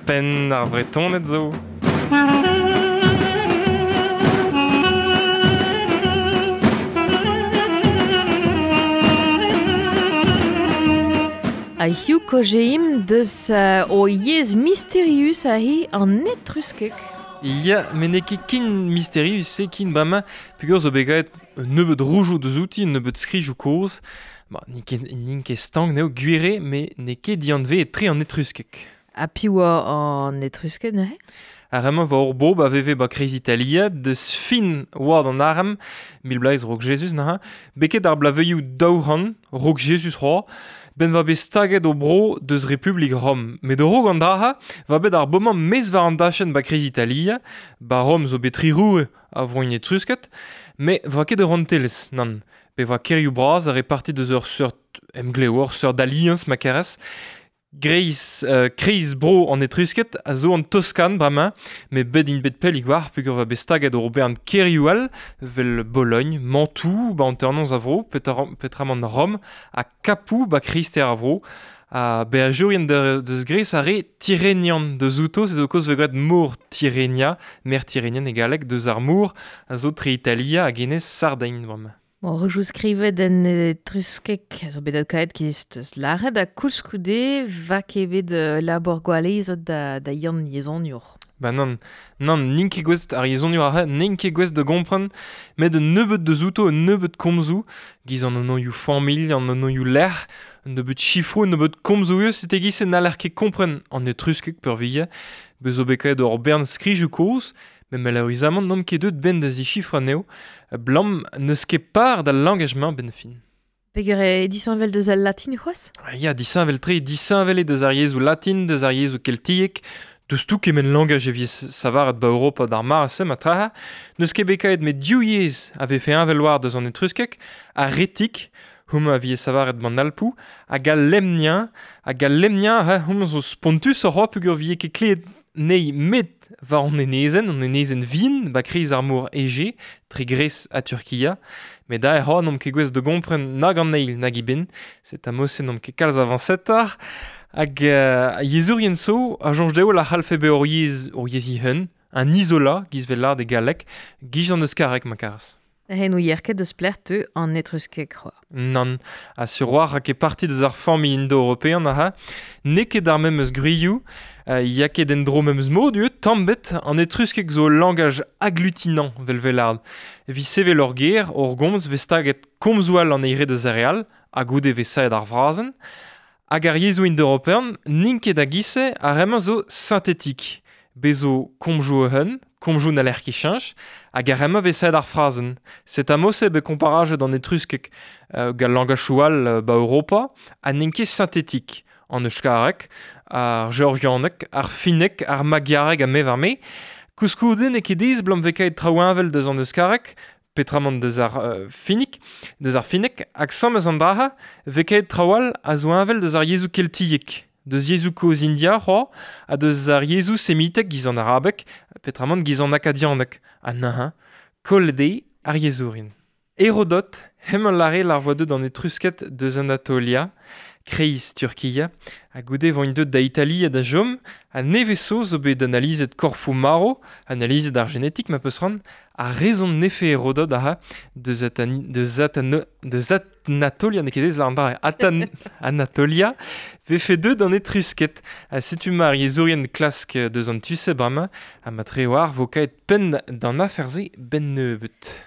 Ouzhpenn ar Vretoned zo. A hiziv kaozeimp deus o yezh misterius aze an etruskeg. Ya, met n'eo ket ken misterius-se ken bremañ peogwir zo bet graet un nebeud roujoù deus outi, un nebeud skrijoù kozh. Ba, n'int ket, n'int ket stank n'eo gwir eo, met n'eo ket dianveet-tre an etruskeg. Ha piv oa an etrusked neuze? Ar re-mañ 'oa ur bobl a veve 'ba kreiz Italia, deus fin oad an arem, 1000 bloaz 'raok Jezuz neuze, beket ar bloavezhioù 200 'raok Jezuz c'hoazh, 'benn 'oa bet staget o bro deus Republik Rom. Met a-raok an dra-se 'oa bet ar bomañ maez war an dachenn 'ba kreiz Italia, 'ba Rom zo bet tri roue a vroioù etrusked, met 'oa ket ur rouantelezh, nann. Pe 'oa kêrioù bras a reparti deus ur seurt emglev, ur seurt aliañs ma kerez. Greiz, kreiz bro an Etrusked a zo an Toskan bremañ, met bet int bet pellik war peogwir 'oa bet staget o bern kêrioù all, 'vel Bologn, Mantoue 'ba hanternoz a vro, peotramant Rom, ha Kapoù 'ba kreisteiz ar vro. Ha beajourien deus Gres a re Tirenian deus outo, se zo kaoz 'vez graet mor Tirenia, mer Tirenian e galleg, deus ar mor a zo tre Italia hag enez Sardign bremañ. Bon, rejou skrivet en etruskeg a zo bet adkaet giz teus lâret ha koulskoude va ket bet labour gwalezet da Yann yezhoniour. Ba nann, nann, n'int ket gouest, ar yezhoniour aze, n'int ket gouest da gompren, met un nebeud deus outo, un nebeud komzoù, giz an anvioù familh, an anvioù lec'h, un nebeud sifroù, un nebeud komzoù eus, setu e-giz-se n'haller ket kompren an etruskeg peurvuiañ. Bez zo bet kaet ur bern skrijoù kozh, Met maleüruzamant n'omp ket deuet 'benn da zichifrañ anezho, 'blam n'eus ket par d'al langaj-mañ 'benn fin. Peger eo disheñvel deus al latin c'hoazh? Ya, disheñvel-tre, disheñvel eo deus ar yezhoù latin, deus ar yezhoù keltiek, deus tout kement langaj e vez savaret 'ba Europa d'ar mare-se ma traha. N'eus ket bet kaet met div yezh a vefe heñvel war deus an etruskeg, ar retik, homañ a vije savaret 'ban Alpoù, hag al lemniañ, hag al lemniañ, homañ zo spontusoc'h c'hoazh peogwir 'vije ket klevet Nei met war an enezenn, an enezenn vihan, 'ba kreiz ar mor Ege, tre Gres ha Turkia. Met aze c'hoazh n'omp ket gouest da gompren nag an eil nag eben. Set' a-mod-se n'omp ket kalz avañsetoc'h. Hag yezhourien zo a soñj dezho la c'hallfe bezañ hor yezh, hor yezh he-un, un isola, giz 'vel lâret e galleg, giz an euskareg ma karas. Ne ouier ket eus pelec'h teu an etruskeg c'hoazh. Nann, ha sur 'oar a ket parti deus ar familh indo-european aze. N'eo ket ar memes gwrioù, ya ket en-dro memes mod eo, tamm 'bet. An etruskeg zo ul langaj agglutinant, 'vel 'vel Evit sevel ur ger, ur gomz 'vez staget komzoù all an eil re deus ar re all, ha goude 'vez savet ar frazenn. Hag ar yezhoù indo-european n'int ket a-giz-se, ar re-mañ zo sintetik. Bez zo komzoù e-un, komzoù n'haller ket cheñch, hag ar re-mañ 'vez savet ar frazenn. Set' a-mod-se bet komparajet an etruskeg gant langachoù all 'ba Europa, ha n'int ket sintetik. An euskareg, ar georgianeg, ar finneg, ar magiareg ha me 'var me. Koulskoude n'eo ket aes 'blam 'vez kaet traoù heñvel deus an euskareg, petramant deus ar finnig, deus ar finneg, hag samm eus an dra-se 'vez kaet traoù all a zo heñvel deus ar yezhoù keltiek. Deus yezhoù kozh India c'hoazh, ha deus ar yezhoù semitek giz an arabeg, petramant giz an akadianeg. Ha neuze, kollet eo ar yezhourien. Herodot, hemañ 'lâre lar 'voa deuet an Etrusked deus Anatolia, kreiz Turkia, ha goude 'voint deuet da Italia da chom, ha nevez zo zo bet analizet korfoù marv, analizet ar genetik ma peus c'hoant, ha rezon 'nefe Herodot aze deus Atani, deus Atano, deus Anatolia, n'eo ket aes lâret an dra, Atan, Anatolia, 'vefe deuet an Etrusked. Ha setu ma ar yezhourien klask deus an tu-se bremañ, ha matre 'oar 'vo kaet penn d'an afer-se 'benn nebeut.